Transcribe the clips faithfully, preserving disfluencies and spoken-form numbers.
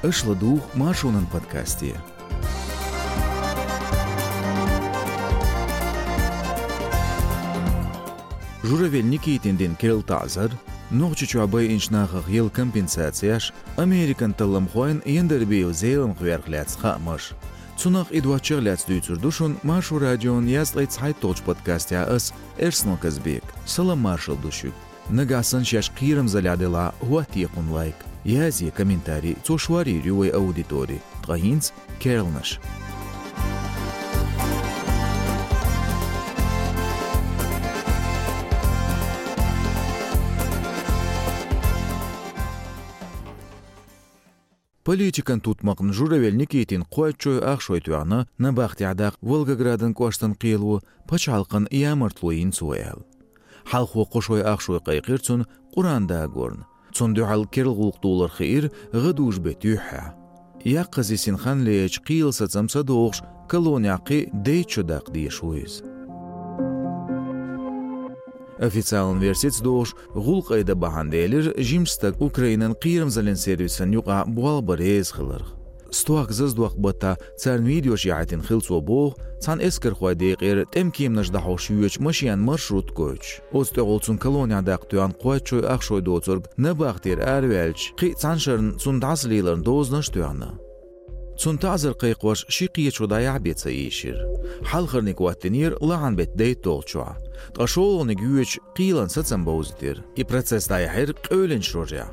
Аша ладугӀу Маршонан подкасте. Журавель Никитина дина керла таӀзар, Нохчийчохь байинчу нахах елла компенсацеш, Американ талламхойн Яндарбиев Зеламха верх лаьцна хаамаш. Цунах а, и доцчух а лаьцна дуьйцур ду шуна Маршо Радион езткъе цхьайтталгӀачу подкастехь ас, Эрсно Казбек. Салам-маршалла ду шуьга. Нагахь санна шаьш кхерамзаллехь делахь, хӀоттае кхунна лайк, язъе комментарий, цо шорйийр ю вайн аудитори. Ткъа хӀинца керланаш. Политикан тутмакхна Журавель Никитина кхойтта шой ах шой тоьхна набахтехь даккха Волгоградан кӀоштан кхело, пачхьалкхана ямартло йина цо аьлла. Хьалхо кхо шой ах шой кхайкхира цунна Къуръан дагорна. Цунна дуьхьал керла гӀуллакх долар хиира гӀадужу беттан юьххьехь. Яккхаза йисина хан лаьцначу кхелан сацам ца дохуш, колонехь кхин дейтта шо даккха дезаш ву иза. Официалан версица дохуш, гӀуллакх айдан бахьана делира жимачу стага Украинан кхерамзаллин сервисан юкъахь болх бан реза хиларх. Стохка заздоккху баттахь царна видеош яхьийтина хилла цо боху цхьана эскархойн декъера тӀемкеманаш дӀахьош йоьдучу машенан маршрут гойтуш. Оцу тӀехула цунна колонехь даккха тоьхна кхойтта шой ах шой доцург набахтера араваьлча, кхин а цхьана шарна цунна дӀасалелар йина дозанаш а тоьхна. Цунна таӀзар кхайкхош ши-кхечо дӀаяхьа бен ца ийшира. Хьалхарниг хӀоттийнера лахьан беттан дейтталгӀачохь, ткъа шолгӀаниг йоьдуш кхелан сацам бовзийтира. И процесс дӀаяьхьира къевлинчу рожехь.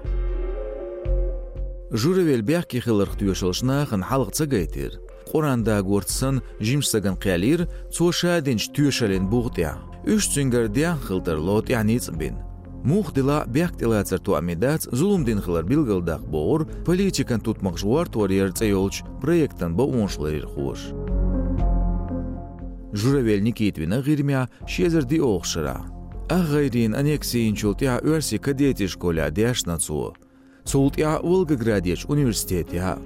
Журавель бехке хиларх тоьшаллаш нахана хьалха ца гайтира. Къуръан дагорца санна жимачу стагана кхаьллира цо ша динчу тоьшаллин бух тӀехь. Уьш цуьнгара дехна хила тарло тӀехь ницкъ бина. Муха делахь а бехк тӀелацар тоам дац зулам дина хилар билгалдаккха, бохура политикан тутмакхаш гӀортор яр цӀе йолчу проектан бакъонашларъярхоша. Журавель Никита вина ГӀирмехь ши эзар диъолгӀачу шарахь. Ах гӀайренан аннекси йинчул тӀаьхьа оьрсийн кадетийн школехь дешна цо. Цул тӀаьхьа Волгоградерчу университетехь а.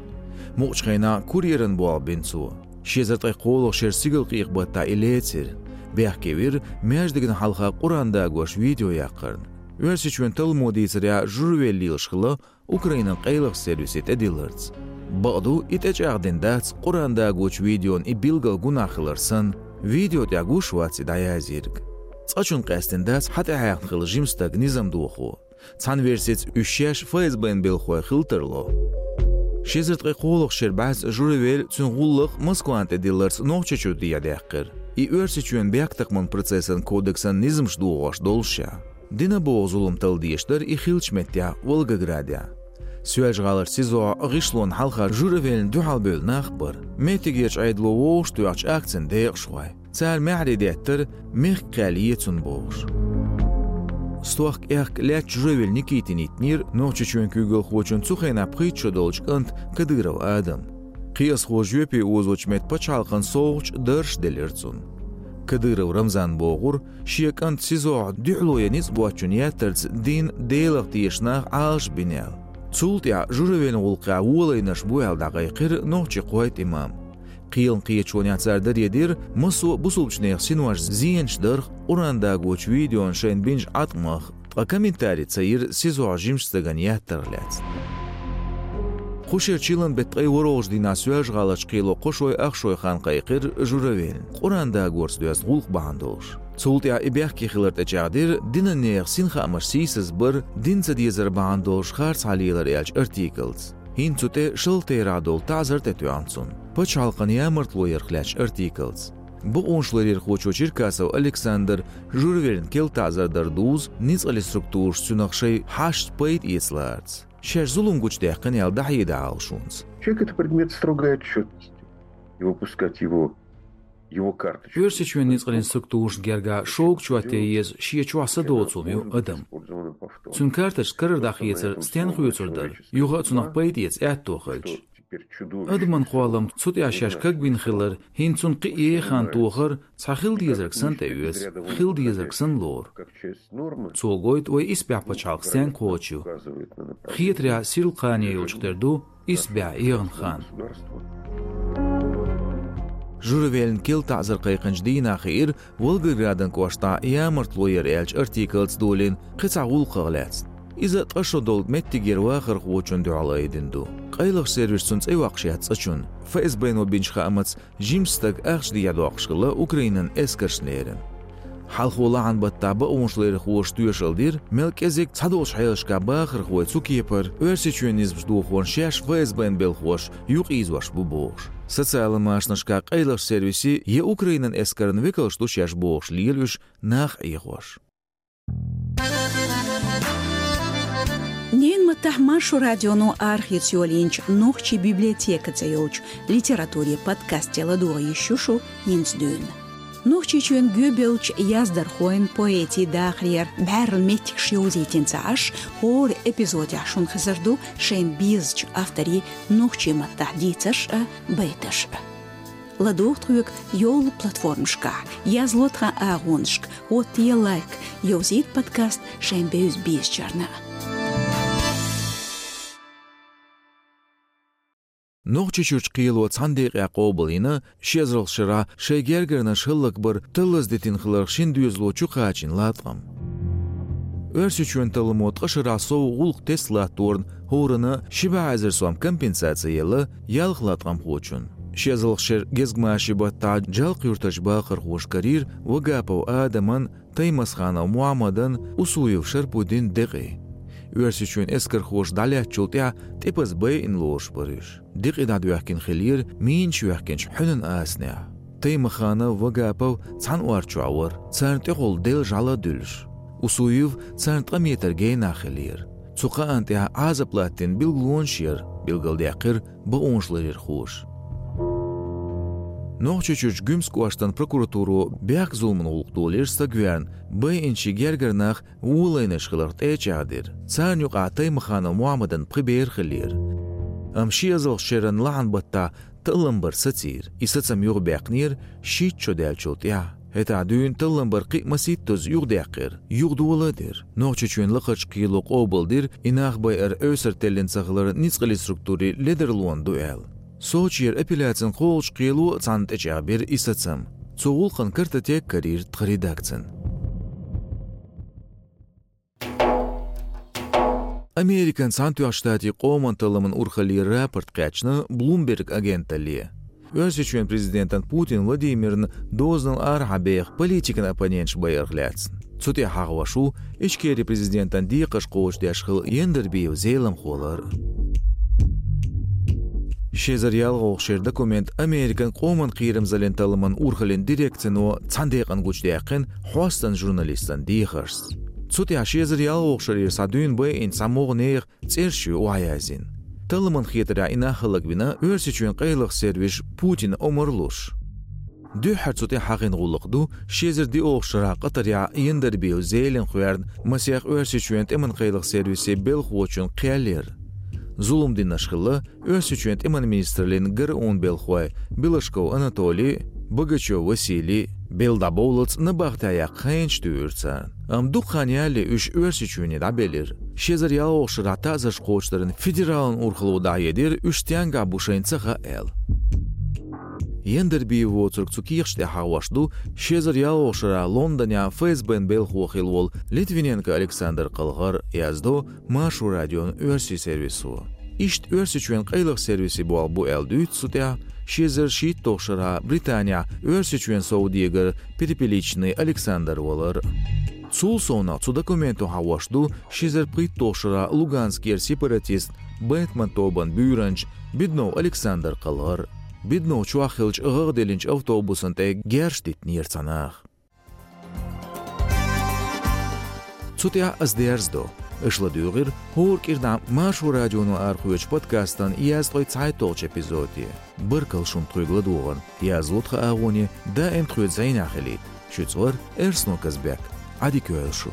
Мукъачу хенахь курьеран болх бина цо. Ши эзар ткъе кхоалгӀачу шеран сигалкъекъа баттахь и лецира. Бехке вира маьждигна хьалха Къуръан дагош видео яккхарна. Оьрсийчоьнан талламо дийцарехь, Журавель лелаш хилла Украинан къайлахчу сервисе тӀедилларца. Бакъду, и тӀечӀагӀдина дац Къуръан дагочу видеон и билггал гунахь хилар санна, видео тӀехь гуш вац и дӀаязйийриг. Цкъачунна къаьстина дац хьатӀехьаьхна хилла жима стаг низам дохо. Цхьана версица, уьш шаьш ФСБ-н белхахой хила тарло. Ши эзар ткъе кхоалгӀачу шеран бӀаьста Журавель, цуьнан гӀуллакх Москвана тӀедилларца Нохчийчу дехьа даьккхира. И Оьрсийчоьнан бехктакхаман процессан кодексан низамаш дохош долуш ша. Дина боху зулам талла дезаш дара и хиллачу меттехь, Волгоградехь. Соьлжа-ГӀаларчу СИЗО-хь гӀишлонна хьалха Журавельна дуьхьал бевлла нах а бара. Меттигерчу Ӏедало вовшахтоьхначу акцин декъашхой. Цара маьхьарий деттара, мехкан кхел е цунна бохуш. Стохка аьхка лаьцна Журавель Никитина йиттинера Нохчийчоьнан куьйгалхочун цу хенахь пхийтта шо долчу кӀанта Кадыров Адама. Кхиазхо жоьпе озочу метта пачхьалкхан совгӀаташ, даржаш делира цунна. Кадыров Рамзана бохура, шен кӀанта СИЗО-хь дуьхьало ян ницкъ боцчунна еттарца дин, Делах тешаш нах Ӏалашбина аьлла. Цул тӀаьхьа Журавельна гӀуллакхехь волавелларш бу аьлла дӀакхайкхира нохчийн кхойтта имам. Кхелан кхеташонехь цара даре дира массо а бусулбачу нехан синош зенаш дарх, Къуръан дагочу видеона шайна бинчу Ӏаткъамах, ткъа комментарий ца йира СИЗО-хь жимачу стагана еттарх лаьцна. Кху шеран чиллан беттан ткъе ворхӀалгӀачу дийнахь Соьлжа-ГӀаларчу кхело кхо шой ах шой хан кхайкхира Журавельна Къуръан дагорца доьзна гӀуллакх бахьана долуш. Цул тӀаьхьа и бехке хилар тӀечӀагӀдира динан нехан синхаамаш сийсазбар, дин ца дезар бахьана долуш харцахьа лелар аьллачу артикалца. ХӀинца цу тӀе шалта терахь долу таӀзар тӀетоьхна цунна, пачхьалкхан ямартло ярх лаьцначу артикалца. Бакъонашларъярхочо Черкасов Александра Журавельна керла таӀзар дар дузу ницкъаллин структураш цуьнах шайн хьашташца пайда эца лаарца. Шаьш зулам гучудаьккхина аьлла дӀахьеда Ӏалашонца. Человек — это предмет строгой отчетности. И выпускать его, его карточку. Оьрсийчоьнан ницкъаллин структурашна гергахь шога чот ян еза шен чохь са доцу хӀума ю адам. Цуьнан карточка карара дӀахецар стенна хоьцур дара, юха а цунах пайда эца аьтто хилча. Адаман кхоллам цу тӀехь шаьш кагбина хилар, хӀинца цунна кхин а еха хан тохар, цхьа хила дезарг санна тӀеоьцу, хила дезарг санна лору. Цо гойту вай исбаьхьа пачхьалкх стенга кхочуш ю. Хетарехь, сирла кхане йолчух тера ду исбаьхьа эгӀан хан. Журавельна керла таӀзар кхайкхинчу дийнахь хиира Волгоградан кӀоштахь ямартло яр аьллачу артикалца долийна кхин цхьа гӀуллакхах лаьцна. Иза ткъа шо долу меттигера вахархочунна дуьхьал айдина ду. Къайлахчу сервисо цуьнан цӀе йоккхуш яц цӀа чунна. ФСБ-но бинчу хаамца, жима стаг ахча дехьа доккхуш хилла Украинан эскаршна лерина. Хьалхо лахьан баттахь бакъонашларъярхоша тоьшалла дира, мел кӀезиг цхьадолчу хьелашкахь бахархой цу кепара Оьрсийчоьнан низамаш дохорна шаьш ФСБ-н белхоша юкъаийзош бу бохуш. Социалан машанашкахь къайлахчу сервисийн я Украинан эскаран векалш ду шаьш бохуш лела уьш нах Ӏехош. Ненан маттахь Маршо радионо арахеца йолийначу «Нохчийн библиотека» цӀе йолчу литературин подкасте ладогӀа йиш ю шу хӀинца дуьйна. Нохчийчоьнан гӀоьбеллачу яздархойн, поэтийн дахарера бӀаьрла меттигаш йовзийтина ца Ӏаш, хӀора эпизодехь шуна хезар ду шайна безачу авторийн нохчийн маттахь дийцарш а, байташ а. ЛадогӀа тхоьга йолу платформашкахь, язло тхан агӀонашка, хӀоттае лайк, йовзийта подкаст шайн бевза безачарна. Нохчийчуьрчу кхело цхьана декъехь къобалйина ши эзарлагӀчу шарахь шайн гергарнаш хӀаллакбар таллаза дитина хиларх шина доьзало чу кхачийна латкъам. Оьрсийчоьнан талламо ткъа шарахь сов гӀуллакх тесна латторна хӀоранна ши бӀе эзар сом компенсаци елла ялх латкъамхочунна. Ши эзарлагӀчу шеран гезгмашин баттахь Джалкъ-Юьртарчу бахархоша карийра Вагапов Адаман, Таймасханов Мухьаммадан, Усуев Шарпудин декъий. Оьрсийчоьнан эскархоша дӀалаьцначул тӀаьхьа тӀепаза байина лоруш бара уьш. Декъий дӀадоьхкина хиллера минаш йоьхкинчу хьуьнан асанехь. Таймасханов, Вагапов цхьана ор чохь вара, царна тӀехула делла жӀаьла дуьллуш. Усуев царна ткъа метр генахь хиллера. Цу кхаанна тӀехь Ӏазап латтийна билгалонаш яра, билгалдаьккхира бакъонашларъярхоша. Нохчийчуьрчу Гуьмсан кӀоштан прокуратуро бехк-зуламан гӀуллакх долийра стаг верна, байинчийн гергара нах волайнаш хиларх тӀе а чӀагӀдира. Царна юкъахь Таймасханов Мухьаммадан пхи бер хиллера. Амма ши эзарлагӀчу шеран лахьан баттахь таллам бар сацийра. И сацам юхабаьккхинера шийтта шо даьллачул тӀаьхьа. ХӀетахь дуьйна таллам бар кхин а масийттазза юхадаьккхира, юхадола а дира. Нохчийчоьнан лакхарчу кхело къобалдира и нах байар эвсара теллина ца хилар ницкъаллин структурийн ледарлонан ду аьлла. Сочера апелляцин кхоалгӀачу кхело а цхьаьна тӀечӀагӀбира и сацам. Цу гӀуллакхан картотека карийра тхан редакцина. Американ Цхьаьнатоьхначу Штатийн Къоман талламан урхаллера рапорт кхаьчна Bloomberg агенталле. Оьрсийчоьнан президентан Путин Владимирна дозанал арахьа беха политикан оппоненташ байарх лаьцна. Цу тӀехь хьахош ву Ичкерин президентан декхарш кхочушдеш хилла Яндарбиев Зелимха валар. Ши эзар ялхолгӀачу шеран документ Американ Къоман кхерамзаллин талламан урхаллин дирекцино цхьана декъана гучудаьккхина хьостан журналистан дехаршца. Цу тӀехь ши эзар ялхолгӀачу шарера схьа дуьйна байинчу цхьа могӀа нехан цӀераш ю охьаяздина. Талламан хетарехь и нах хӀаллаквина Оьрсийчоьнан къайлаха сервисаш Путина омра луш. Дуьххьара цу тӀехь хьахийна гӀуллакх ду ши эзар диъолгӀачу шарахь Къатарехь Яндарбиев Зелимха верна масех Оьрсийчоьнан тӀеман къайлаха сервисийн белхахочун кхел яр. Зулам динарш хилла Оьрсийчоьнан тӀеман министраллин гараун белхахой Белашков Анатолий, Богачев Василий, белла дӀабовллалц набахтехь яккха хенаш туьйхира царна. Амма дукха хан ялале уьш Оьрсийчоьне дӀабелира. Ши эзар ялхолгӀачу шарахь таӀзарш кхочушдаран федералан урхалло дӀахьедира, уьш стенгахь бу шайна ца хаьа аьлла. Яндарбиев воцург цу кехаташ тӀехь хьахош ду ши эзар ялхолгӀачу шарахь Лондонехь ФСБ-н белхахо хилла волу Литвиненко Александр кхалхар, яздо Маршо радион оьрсийн сервисо. Иштта Оьрсийчоьнан къайлаха сервисийн болх бу аьлла дуьйцу цу тӀехь ши эзар шийтталгӀачу шарахь Британехь Оьрсийчоьнан совдегар Перепеличный Александр валар. Цул совнаха цу документо хьахош ду ши эзар пхийтталгӀачу шарахь Луганскера сепаратист Бэтмен тобан буьйранча Беднов Александр кхалхар. Беднов чохь хиллачу гӀагӀ диллинчу автобусана тӀе герз дитинера цхьа наха. Цу тӀехь ас дерзадо. Аша ладуьйгӀира хӀора кӀирнахь Маршо радионо арахоьцучу подкастан язткъе цхьайтталгӀачу эпизоде. Баркалла шуна тхоьга ладогӀарна. Язло тхан агӀоне, даим тхоьца зӀенехь хилийта. Шуьца вара Эрсно Казбек. Ӏадика йойла шу.